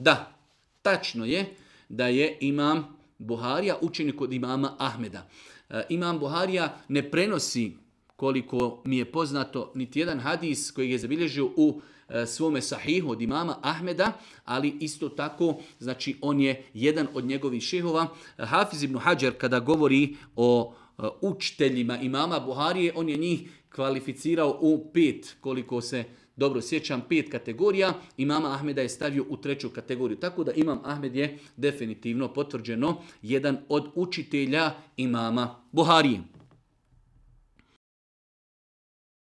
Da, tačno je da je imam Buharija učenik od imama Ahmeda. Imam Buharija ne prenosi, koliko mi je poznato, niti jedan hadis koji je zabilježio u svome sahihu od imama Ahmeda, ali isto tako, znači on je jedan od njegovih šehova. Hafiz ibn Hadžar kada govori o učiteljima imama Buharije, on je njih kvalificirao u 5, koliko se dobro sjećam, 5 kategorija. Imama Ahmeda je stavio u 3. kategoriju. Tako da imam Ahmed je definitivno potvrđeno jedan od učitelja imama Buharije.